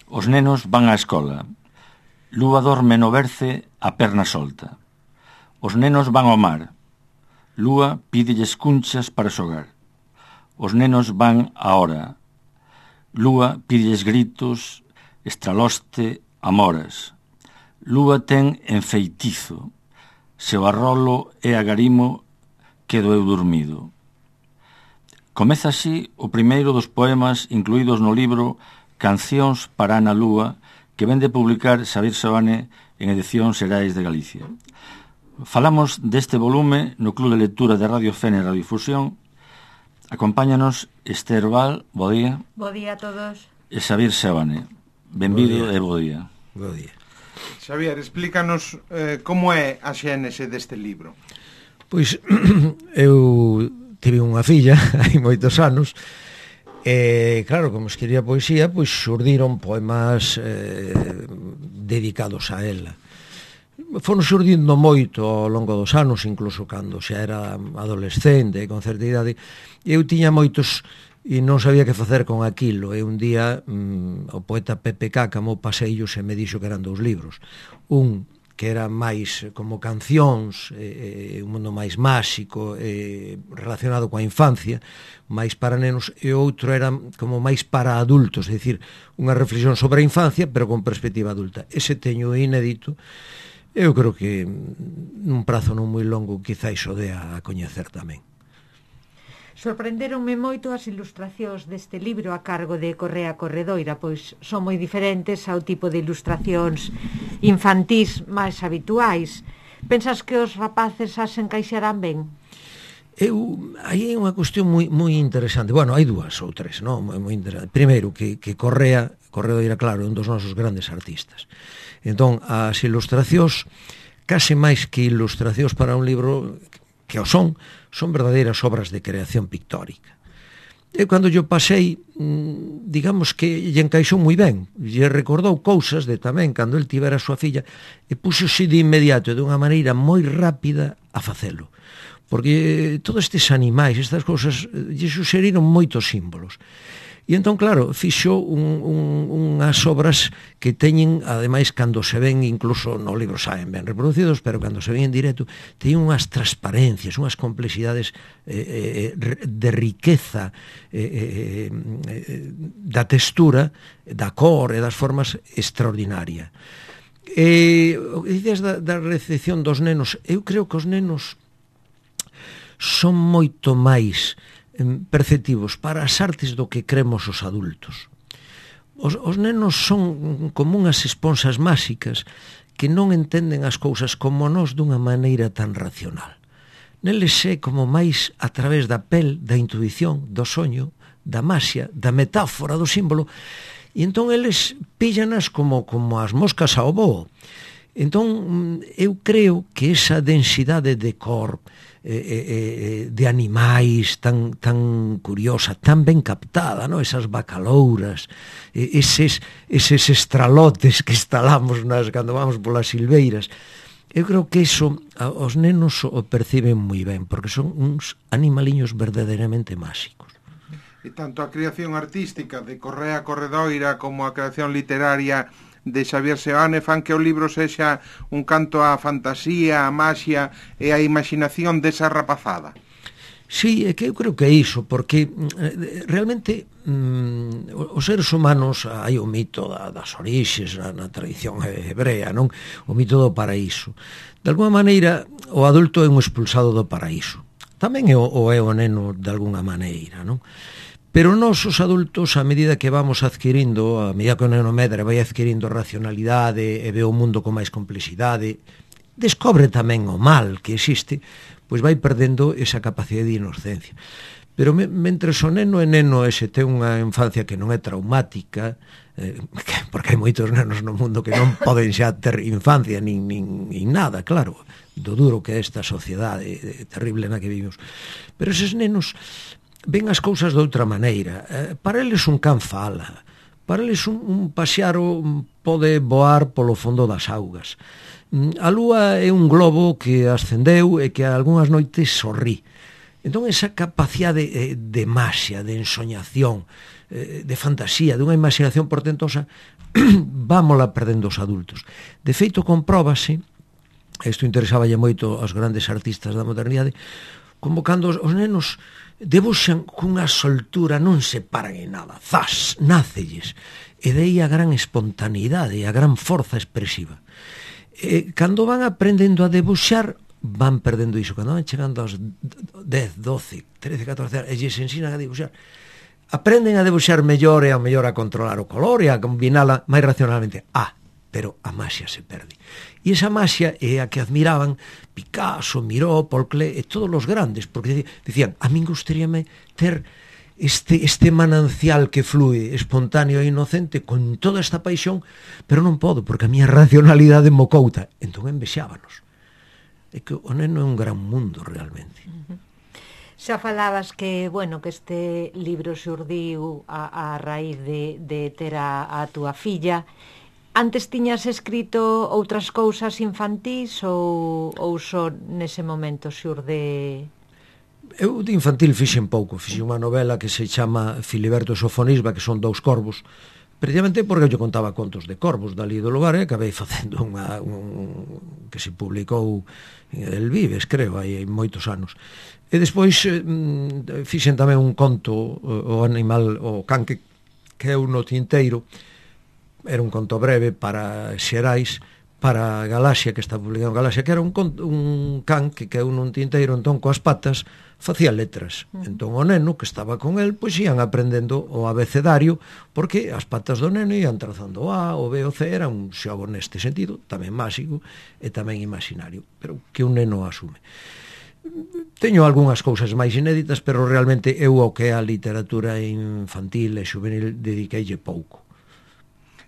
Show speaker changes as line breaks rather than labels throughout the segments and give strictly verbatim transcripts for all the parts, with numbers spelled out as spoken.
Os nenos van á escola. Lúa dorme no berce a perna solta. Os nenos van ao mar. Lúa pídelles cunchas para xogar. Os nenos van á hora. Lúa pídelles gritos, estraloste, amoras. Lúa ten enfeitizo. Se o arrolo e agarimo, quedo eu dormido. Comeza así o primeiro dos poemas incluídos no libro Cancións para Ana Lúa, que vende publicar Xavier Seoane en Edicións Xerais de Galicia. Falamos deste volume no Club de Lectura de Radio Fene Radiodifusión. Acompáñanos Esther Val, bo día.
Bo día a todos.
E Xavier Seoane. Benvido e bo día.
Bo día.
Xavier, explícanos eh, como é a xénese deste libro.
Pois eu tive unha filla hai moitos anos e claro, como escribía poesía, pois xurdiron poemas eh, dedicados a ela. Foron xurdindo moito ao longo dos anos, incluso cando xa era adolescente, con certa idade. Eu tiña moitos e non sabía que facer con aquilo. E un día mm, o poeta Pepe Cácamo paseillos e me dixo que eran dous libros. Un que era máis como cancións, eh, un mundo máis máxico, eh, relacionado coa infancia, máis para nenos, e outro era como máis para adultos, é dicir, unha reflexión sobre a infancia, pero con perspectiva adulta. Ese teño inédito, eu creo que nun prazo non moi longo quizáis o dea a coñecer tamén.
Sorprenderonme moito as ilustracións deste libro a cargo de Correa Corredoira, pois son moi diferentes ao tipo de ilustracións infantís máis habituais. Pensas que os rapaces as encaixarán ben?
Eu, aí é unha cuestión moi, moi interesante. Bueno, hai dúas ou tres, non? Moi, moi interesante. Primeiro, que, que Correa, Corredoira, claro, é un dos nosos grandes artistas. Entón, as ilustracións, case máis que ilustracións para un libro, que o son, son verdadeiras obras de creación pictórica. E cando yo pasei, digamos que lle encaixou moi ben, lle recordou cousas de tamén cando el tivera a súa filla, e puxose de inmediato, de unha maneira moi rápida, a facelo. Porque todos estes animais, estas cousas, lle suxeriron moitos símbolos. E entón, claro, fixo un, un, unhas obras que teñen, ademais, cando se ven, incluso no libro saen ben reproducidos, pero cando se ven en directo, teñen unhas transparencias, unhas complexidades eh, de riqueza eh, eh, da textura, da cor e das formas extraordinaria. E o que dices da, da recepción dos nenos, eu creo que os nenos son moito máis perceptivos para as artes do que cremos os adultos. Os, os nenos son como unhas esponxas máxicas que non entenden as cousas como nós dunha maneira tan racional. Neles é como máis a través da pel, da intuición, do soño, da maxia, da metáfora, do símbolo, e entón eles pillanas como, como as moscas ao boo. Entón, eu creo que esa densidade de cor, eh, eh, de animais tan, tan curiosa, tan ben captada, ¿no? Esas bacalouras, eh, eses, eses estralotes que estalamos nas, cando vamos polas silveiras, eu creo que iso os nenos o perciben moi ben, porque son uns animaliños verdadeiramente máxicos.
E tanto a creación artística de Correa Corredoira como a creación literaria de Xavier Seoane fan que o libro sexa un canto á fantasía, á maxia e á imaginación desa rapazada.
Sí, é que eu creo que é iso, porque realmente mm, os seres humanos, hai o mito da, das orixes na, na tradición hebrea, non? O mito do paraíso. De alguma maneira, o adulto é un expulsado do paraíso. Tamén é o, o é o neno de alguna maneira, non? Pero nós, os adultos, a medida que vamos adquirindo, a medida que o neno medra vai adquirindo racionalidade e ve o mundo con máis complexidade, descobre tamén o mal que existe, pois vai perdendo esa capacidade de inocencia. Pero me, mentres o neno é neno e se ten unha infancia que non é traumática, eh, porque hai moitos nenos no mundo que non poden xa ter infancia nin, nin, nin nada, claro, do duro que é esta sociedade terrible na que vivimos. Pero eses nenos ven as cousas de outra maneira. Eh, para eles un can fala, para eles un, un paxaro pode voar polo fondo das augas. A lúa é un globo que ascendeu e que algunhas noites sorrí. Entón esa capacidade de maxia, de ensoñación, de fantasía, dunha imaginación portentosa, vámola perdendo os adultos. De feito, compróbase, isto interesáballe moito aos grandes artistas da modernidade, como cando os, os nenos debuxan cunha soltura, non se paran en nada, zas, nácelles, e dei a gran espontaneidade e a gran forza expresiva. E cando van aprendendo a debuxar, van perdendo iso. Cando van chegando aos dez, doce, trece, catorce anos e lles ensinan a debuxar, aprenden a debuxar mellor e ao mellor a controlar o color e a combinala máis racionalmente. Ah, pero a maxia se perde. E esa maxia é a que admiraban Picasso, Miró, Paul Klee e todos os grandes, porque dicían, a min gustaríame ter este, este manancial que flúe espontáneo e inocente con toda esta paixón, pero non podo, porque a miña racionalidade mocouta. Entón envexábanos. É que o neno é un gran mundo realmente.
Uh-huh. Xa falabas que, bueno, que este libro xurdiu a, a raíz de, de ter a, a túa filla. Antes tiñas escrito outras cousas infantís ou, ou só nese momento xurde...
Eu de infantil fixen pouco, fixen unha novela que se chama Filiberto e Sofonisba, que son dous corvos, precisamente porque eu contaba contos de corvos dali do lugar e acabei facendo unha, un, que se publicou en El Vives, creo, hai moitos anos. E despois eh, fixen tamén un conto, o animal, o can que, que é un no tinteiro, era un conto breve para Xerais, para Galaxia, que está publicado en Galaxia, que era un, conto, un can que caeu nun tinteiro, entón coas patas facía letras. Entón o neno que estaba con el, pois ian aprendendo o abecedario, porque as patas do neno ian trazando o A, o B, o C, era un xogo neste sentido, tamén máxico e tamén imaginario, pero que un neno asume. Teño algunhas cousas máis inéditas, pero realmente eu o que é a literatura infantil e juvenil dediqueille pouco.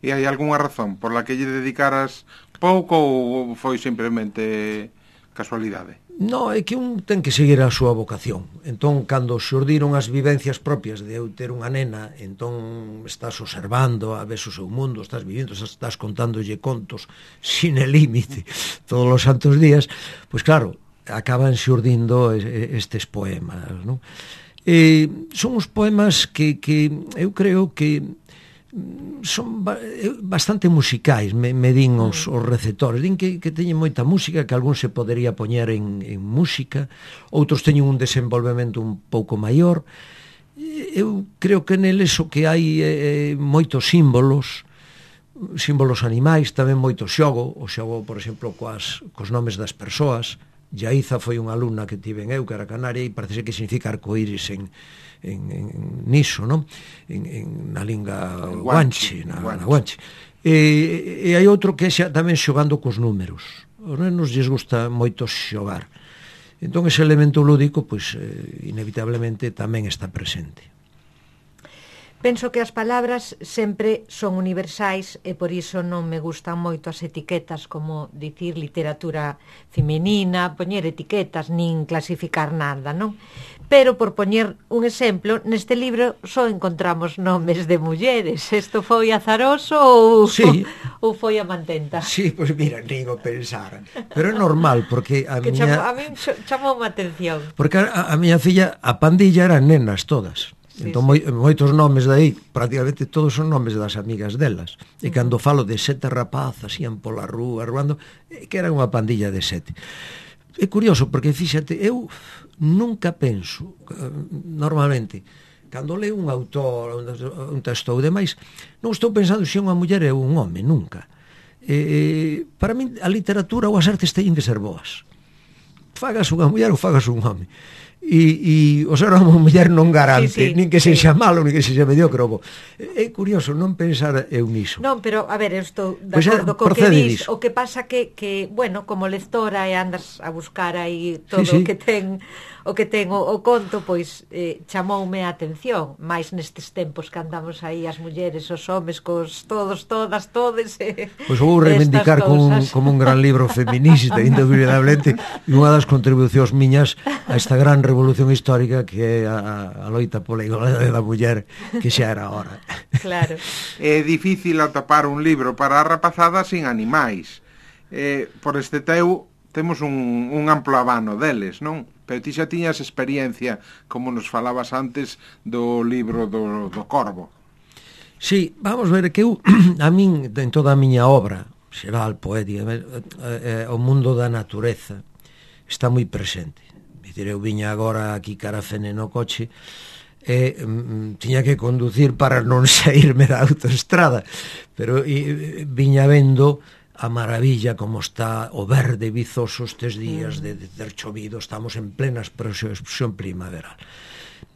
E hai algunha razón por la que lle dedicaras pouco ou foi simplemente casualidade?
No, é que un ten que seguir a súa vocación. Entón, cando xurdiron as vivencias propias de eu ter unha nena, entón estás observando, a ves o seu mundo, estás vivindo, estás contándolle contos sin el límite todos os santos días, pois claro, acaban xurdindo estes poemas, non? E son os poemas que, que eu creo que son bastante musicais, me, me din os, os receptores, din que, que teñen moita música, que algún se podería poñer en, en música, outros teñen un desenvolvemento un pouco maior. Eu creo que neles o que hai é moitos símbolos, símbolos animais, tamén moito xogo, o xogo, por exemplo, coas, cos nomes das persoas. Yaiza foi unha alumna que tiven eu, que era canaria, e parece que significa arcoíris en, en, en niso, non? En, en, na linga guanche, na, na guanche. E, e hai outro que é xa tamén xogando cos números. Os nenos lles gusta moito xogar. Entón ese elemento lúdico, pois, eh, inevitablemente tamén está presente.
Penso que as palabras sempre son universais e por iso non me gustan moito as etiquetas, como dicir literatura femenina, poñer etiquetas, nin clasificar nada, non? Pero, por poñer un exemplo, neste libro só encontramos nomes de mulleres. Isto foi azaroso ou,
sí.
ou foi a mantenta?
Sí, pois pues mira, nin o pensar. Pero é normal, porque a
que
miña...
Chamou, a mí chamou a atención.
Porque a, a miña filla, a pandilla eran nenas todas. Sí, entón, sí. Moitos nomes de aí, prácticamente todos son nomes das amigas delas. E cando falo de sete rapazas, ian pola rúa, ruando, que era unha pandilla de sete. É curioso, porque, fíxate, eu nunca penso, normalmente, cando leo un autor, un texto ou demais, non estou pensando se é unha muller ou un home, nunca. E, para min, a literatura ou as artes teñen que ser boas. Fagas unha muller ou fagas un home. E, e o ser unha muller non garante, sí, sí, nin que sexa sí. malo, nin que sexa mediocre. É curioso non pensar eu niso.
Non, pero, a ver, eu estou de pues acordo co que dis, o que pasa que, que, bueno, como lectora e andas a buscar aí todo sí, sí. o que ten o que ten o, o conto, pois eh, chamoume a atención, máis nestes tempos que andamos aí as mulleres, os homes, cos todos, todas, todes. Eh,
pois vou reivindicar como un, como un gran libro feminista, indubidablemente, e unha das contribucións miñas a esta gran revolución histórica que é a, a loita pola igualdade da muller, que xa era hora.
Claro.
É difícil atopar un libro para a rapazada sin animais. Eh, por este teu temos un, un amplo abano deles, non? Pero ti xa tiñas experiencia, como nos falabas antes, do libro do, do Corvo.
Sí, vamos ver que eu, a min, en toda a miña obra xeral, poética, eh, eh, o mundo da natureza está moi presente. Dicir, eu viña agora aquí cara a Fene no coche e mm, tiña que conducir para non saírme da autoestrada, pero e, viña vendo a maravilla como está o verde vizoso estes días de, de ter chovido, estamos en plena expresión primaveral.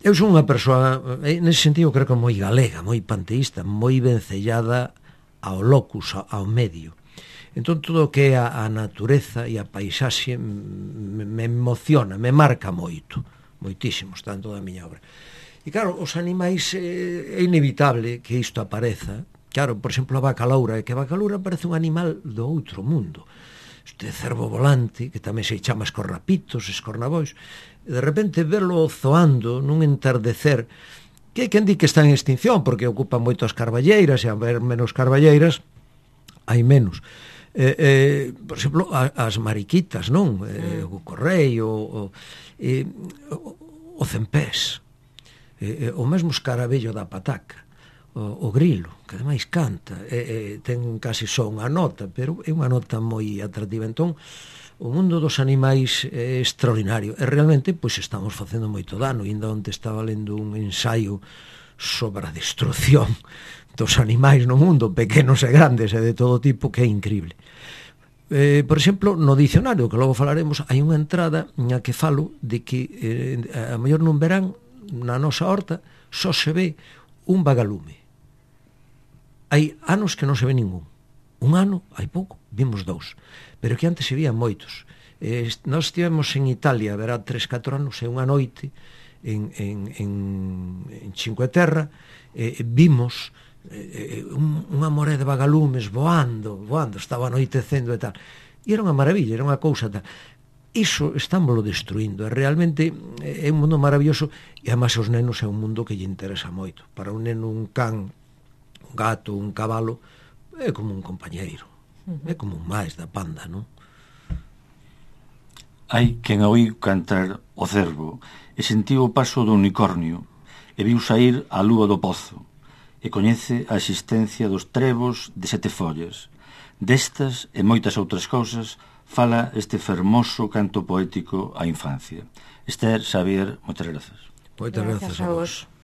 Eu son unha persoa, nese sentido, creo que moi galega, moi panteísta, moi vencellada ao locus, ao medio. Entón, todo o que é a, a natureza e a paisaxe me, me emociona, me marca moito, moitísimo, está en toda a miña obra. E claro, os animais, eh, é inevitable que isto apareza. Claro, por exemplo, a vaca loura, que a vaca loura parece un animal do outro mundo. Este cervo volante, que tamén se chama escorrapitos, escornabois, e de repente verlo zoando nun entardecer, que hai quen di que está en extinción, porque ocupan moito as carballeiras, e a ver menos carballeiras, hai menos. Eh, eh, por exemplo, a, as mariquitas, non? Eh, o correio, o, eh, o, o cempés, eh, o mesmo escaravello da pataca, o, o grilo, que ademais canta, e, e ten casi só unha nota, pero é unha nota moi atractiva. Entón, o mundo dos animais é extraordinario, e realmente, pois, estamos facendo moito dano. Ainda onte estaba lendo un ensaio sobre a destrucción dos animais no mundo, pequenos e grandes, e de todo tipo, que é increíble. Eh, por exemplo, no dicionario, que logo falaremos, hai unha entrada na que falo de que eh, a mellor non verán na nosa horta só se ve un vagalume. Hai anos que non se ve ningún. Un ano, hai pouco, vimos dous. Pero que antes se vían moitos. Eh, nós estivemos en Italia, verá, tres, catro anos, e unha noite en, en, en, en Cinque Terra, eh, vimos eh, un, unha moré de vagalumes voando, voando, estaba anoitecendo e tal. E era unha maravilla, era unha cousa tal. Iso estámoslo destruindo, e realmente é un mundo maravilloso, e además os nenos é un mundo que lle interesa moito. Para un neno, un can, un gato, un cabalo, é como un compañeiro, é como un máis da panda, non?
Hai quen oí cantar o cervo e sentiu o paso do unicornio e viu saír a lúa do pozo e coñece a existencia dos trebos de sete follas. Destas e moitas outras cousas fala este fermoso canto poético á infancia. Esther, Xavier, moitas grazas.
Moitas grazas a vos.